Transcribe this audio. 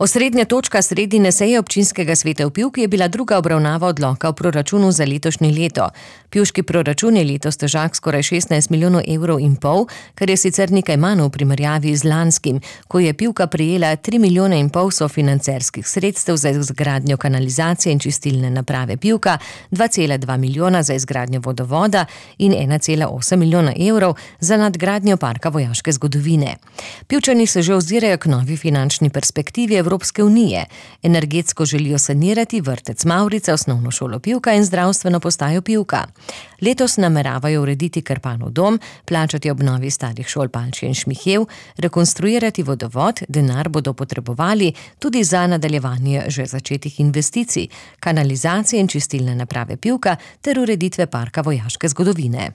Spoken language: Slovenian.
Osrednja točka sredine seje občinskega sveta v Pivki je bila druga obravnava odloka o proračunu za letošnje leto. Pivški proračun je letos težak skoraj 16,5 milijona evrov, kar je sicer nekaj manj v primerjavi z lanskim, ko je Pivka prejela 3,5 milijona sofinancerskih sredstev za izgradnjo kanalizacije in čistilne naprave Pivka, 2,2 milijona za izgradnjo vodovoda in 1,8 milijona evrov za nadgradnjo parka vojaške zgodovine. Pivčani se že ozirajo k novi finančni perspektivi Evropske unije. Energetsko želijo sanirati vrtec Mavrica, osnovno šolo Pivka in zdravstveno postajo Pivka. Letos nameravajo urediti Krpanov dom, plačati obnovi starih šol Palčje in Šmihev, rekonstruirati vodovod, denar bodo potrebovali tudi za nadaljevanje že začetih investicij, kanalizacije in čistilne naprave Pivka ter ureditve parka vojaške zgodovine.